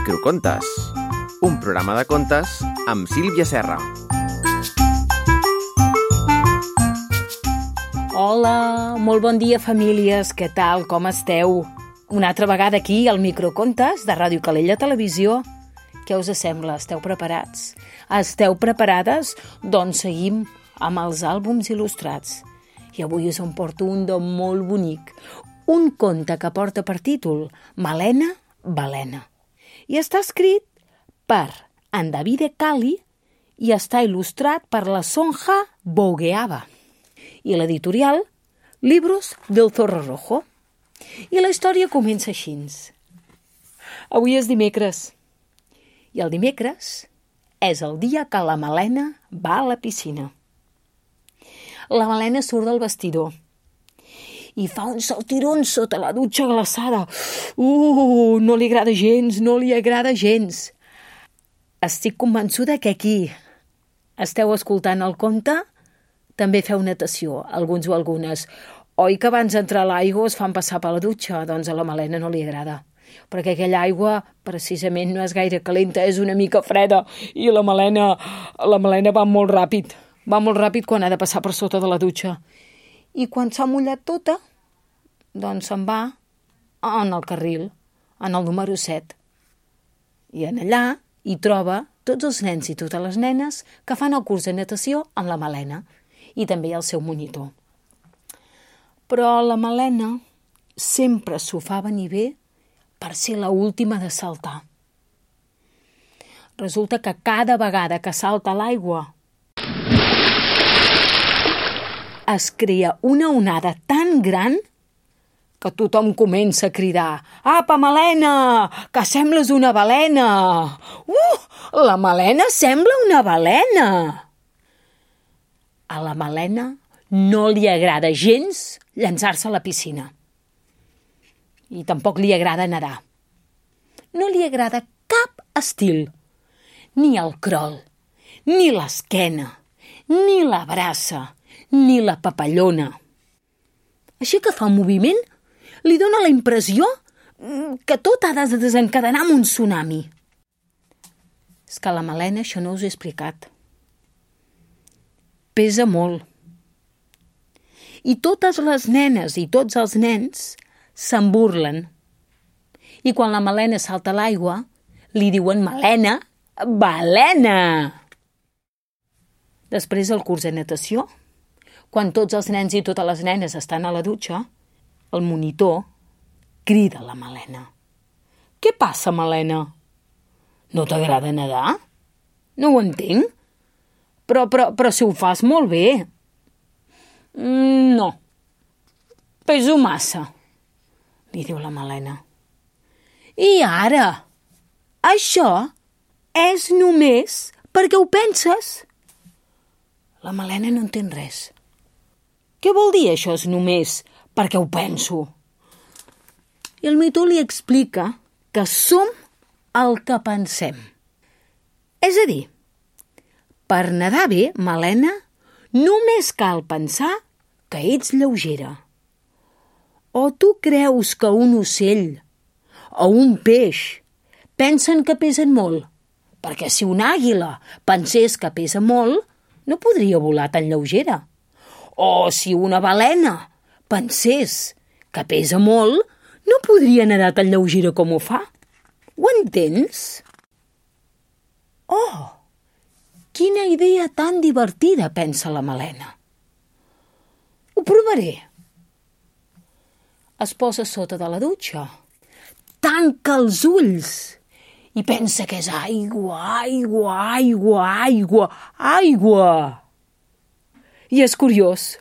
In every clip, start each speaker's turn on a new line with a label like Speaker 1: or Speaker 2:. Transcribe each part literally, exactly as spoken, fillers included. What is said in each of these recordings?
Speaker 1: Microcontes, un programa de contes amb Sílvia Serra.
Speaker 2: Hola, molt bon dia, famílies. Què tal? Com esteu? Una altra vegada aquí al Microcontes de Ràdio Calella Televisió. Què us sembla? Esteu preparats? Esteu preparades? Doncs seguim amb els àlbums il·lustrats. I avui us en porto un de molt bonic. Un conte que porta per títol Malena, Balena. I està escrit per en Davide Cali i està il·lustrat per la Sonja Bougueaba. I l'editorial Libros del Zorro Rojo. I la història comença així. Avui és dimecres. I el dimecres és el dia que la Malena va a la piscina. La Malena surt del vestidor i fa un saltirón sota la dutxa glaçada. Uh, no li agrada gens, no li agrada gens. Estic convençuda que aquí esteu escoltant el conte, també feu natació, alguns o algunes. Oi que abans d'entrar a l'aigua es fan passar per la dutxa? Doncs a la Malena no li agrada, perquè aquella aigua precisament no és gaire calenta, és una mica freda, i la Malena, la Malena va molt ràpid, va molt ràpid quan ha de passar per sota de la dutxa. I quan s'ha mullat tota, doncs se'n va en el carril, en el número set. I en allà hi troba tots els nens i totes les nenes que fan el curs de natació amb la Malena i també el seu monitor. Però la Malena sempre s'ho fa venir bé per ser l'última de saltar. Resulta que cada vegada que salta a l'aigua es crea una onada tan gran que tothom comença a cridar: «Apa, Malena, que sembles una balena! Uh, la Malena sembla una balena!» A la Malena no li agrada gens llançar-se a la piscina. I tampoc li agrada nedar. No li agrada cap estil. Ni el crawl, ni l'esquena, ni la braça, ni la papallona. Així que fa un moviment, li dóna la impressió que tot ha de desencadenar amb un tsunami. És que a la Malena això no us he explicat. Pesa molt. I totes les nenes i tots els nens se'n burlen. I quan la Malena salta a l'aigua, li diuen Malena, balena! Després del curs de natació, quan tots els nens i totes les nenes estan a la dutxa, el monitor crida a la Malena. «Què passa, Malena? No t'agrada nedar? No ho entenc. Però, però, però si ho fas molt bé». «No, peso massa», li diu la Malena. «I ara? Això és només perquè ho penses?» La Malena no entén res. «Què vol dir això és només perquè ho penso?» I el monitor li explica que som el que pensem. És a dir, per nedar bé, Malena, només cal pensar que ets lleugera. O tu creus que un ocell o un peix pensen que pesen molt? Perquè si una àguila pensés que pesa molt, no podria volar tan lleugera. O si una balena pensés que pesa molt, no podria nedar tan lleugera com ho fa. Ho entens? Oh, quina idea tan divertida, pensa la Malena. Ho provaré. Es posa sota de la dutxa, tanca els ulls i pensa que és aigua, aigua, aigua, aigua, aigua. I és curiós.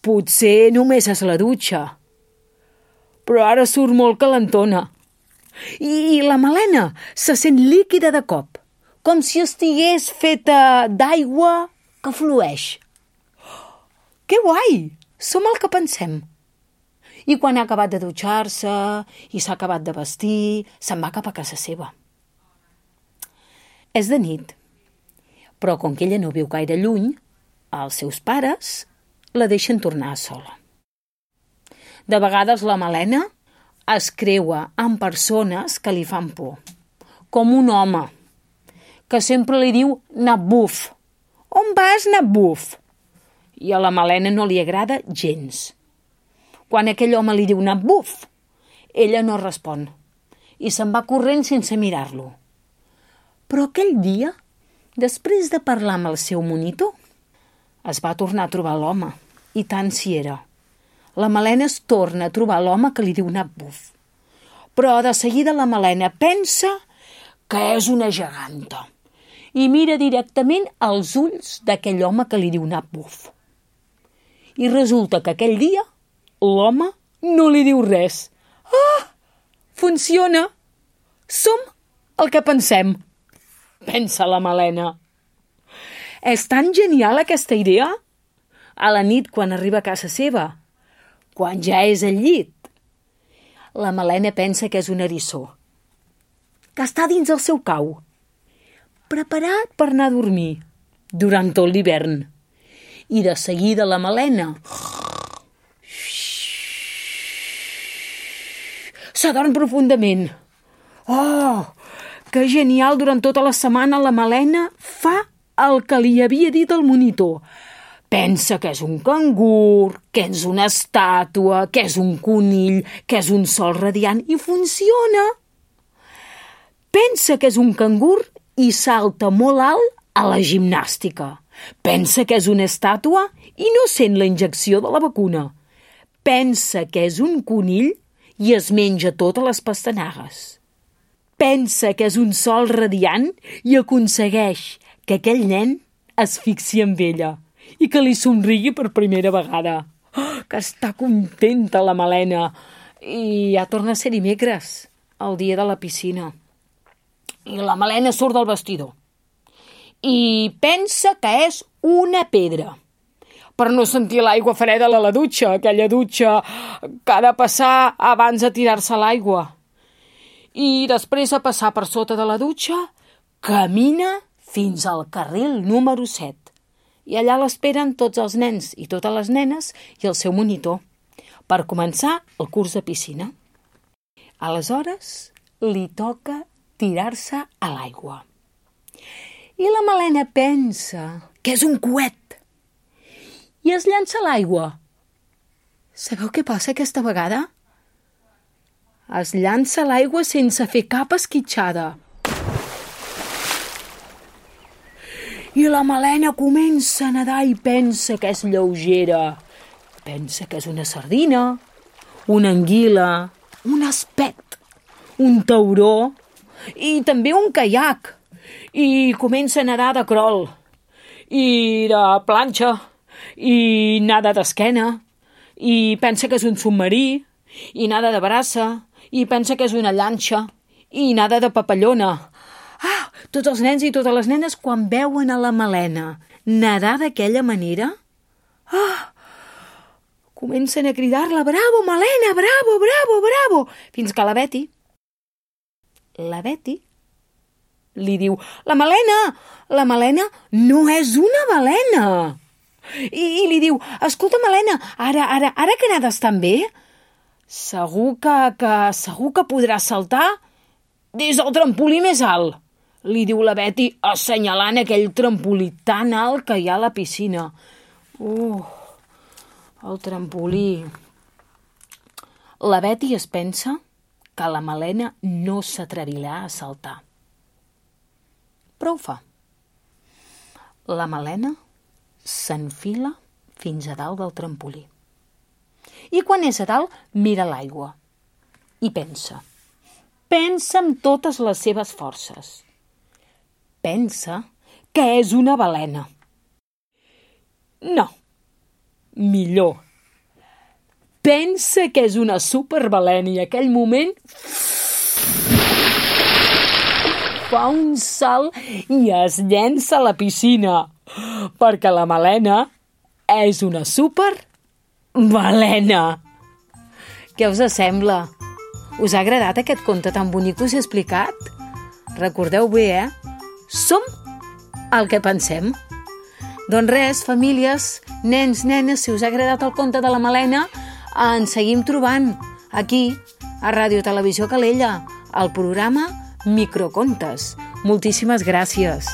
Speaker 2: Potser només és la dutxa, però ara surt molt calentona. I la Malena se sent líquida de cop, com si estigués feta d'aigua que flueix. Que guai! Som el que pensem. I quan ha acabat de dutxar-se i s'ha acabat de vestir, se'n va cap a casa seva. És de nit, però com que ella no viu gaire lluny, els seus pares la deixen tornar sola. De vegades la Malena es creua amb persones que li fan por, com un home que sempre li diu anar buf. On vas, anar buf? I a la Malena no li agrada gens. Quan aquell home li diu anar buf, ella no respon i se'n va corrent sense mirar-lo. Però aquell dia, després de parlar amb el seu monitor, es va tornar a trobar l'home, i tant si era. La Malena es torna a trobar l'home que li diu anar buf. Però de seguida la Malena pensa que és una geganta i mira directament als ulls d'aquell home que li diu anar buf. I resulta que aquell dia l'home no li diu res. Ah! Funciona! Som el que pensem, pensa la Malena. És tan genial aquesta idea? A la nit, quan arriba a casa seva, quan ja és al llit, la Malena pensa que és un eriçó, que està dins el seu cau, preparat per anar a dormir durant tot l'hivern. I de seguida la Malena s'adorm profundament. Oh, que genial! Durant tota la setmana la Malena fa el que li havia dit el monitor. Pensa que és un cangur, que és una estàtua, que és un conill, que és un sol radiant, i funciona. Pensa que és un cangur i salta molt alt a la gimnàstica. Pensa que és una estàtua i no sent la injecció de la vacuna. Pensa que és un conill i es menja totes les pastanagues. Pensa que és un sol radiant i aconsegueix que aquell nen es fixi en ella i que li somrigui per primera vegada. Oh, que està contenta la Malena. I ja torna a ser dimecres, el dia de la piscina. I la Malena surt del vestidor i pensa que és una pedra, per no sentir l'aigua freda a la dutxa, aquella dutxa que ha de passar abans de tirar-se a l'aigua. I després de passar per sota de la dutxa, camina fins al carril número set. I allà l'esperen tots els nens i totes les nenes i el seu monitor per començar el curs de piscina. Aleshores, li toca tirar-se a l'aigua. I la Malena pensa que és un coet i es llança a l'aigua. Sabeu què passa aquesta vegada? Es llança a l'aigua sense fer cap esquitxada. I la Malena comença a nedar i pensa que és lleugera. Pensa que és una sardina, una anguila, un espet, un tauró i també un caiac. I comença a nedar de crol, i de planxa, i nada d'esquena, i pensa que és un submarí, i nada de braça, i pensa que és una llanxa, i nada de papallona. Ah, tots els nens i totes les nenes, quan veuen a la Malena nedar d'aquella manera, ah, comencen a cridar-la, bravo, Malena, bravo, bravo, bravo, fins que la Betty, la Betty, li diu, la Malena, la Malena no és una balena. I, i li diu, escolta, Malena, ara, ara, ara que nades tan bé, segur que, que, segur que podràs saltar des del trampolí més alt. Li diu la Betty, assenyalant aquell trampolí tan alt que hi ha a la piscina. Uh, el trampolí. La Betty es pensa que la Malena no s'atrevirà a saltar. Però ho fa. La Malena s'enfila fins a dalt del trampolí. I quan és a dalt, mira l'aigua. I pensa. Pensa amb totes les seves forces. Pensa que és una balena. No. Millor. Pensa que és una superbalena i en aquell moment fa un salt i es llença a la piscina, perquè la Malena és una superbalena. Què us sembla? Us ha agradat aquest conte tan bonic que us he explicat? Recordeu bé, eh? Som el que pensem. Doncs res, famílies, nens, nenes, si us ha agradat el conte de la Malena, ens seguim trobant aquí, a Ràdio Televisió Calella, al programa Microcontes. Moltíssimes gràcies.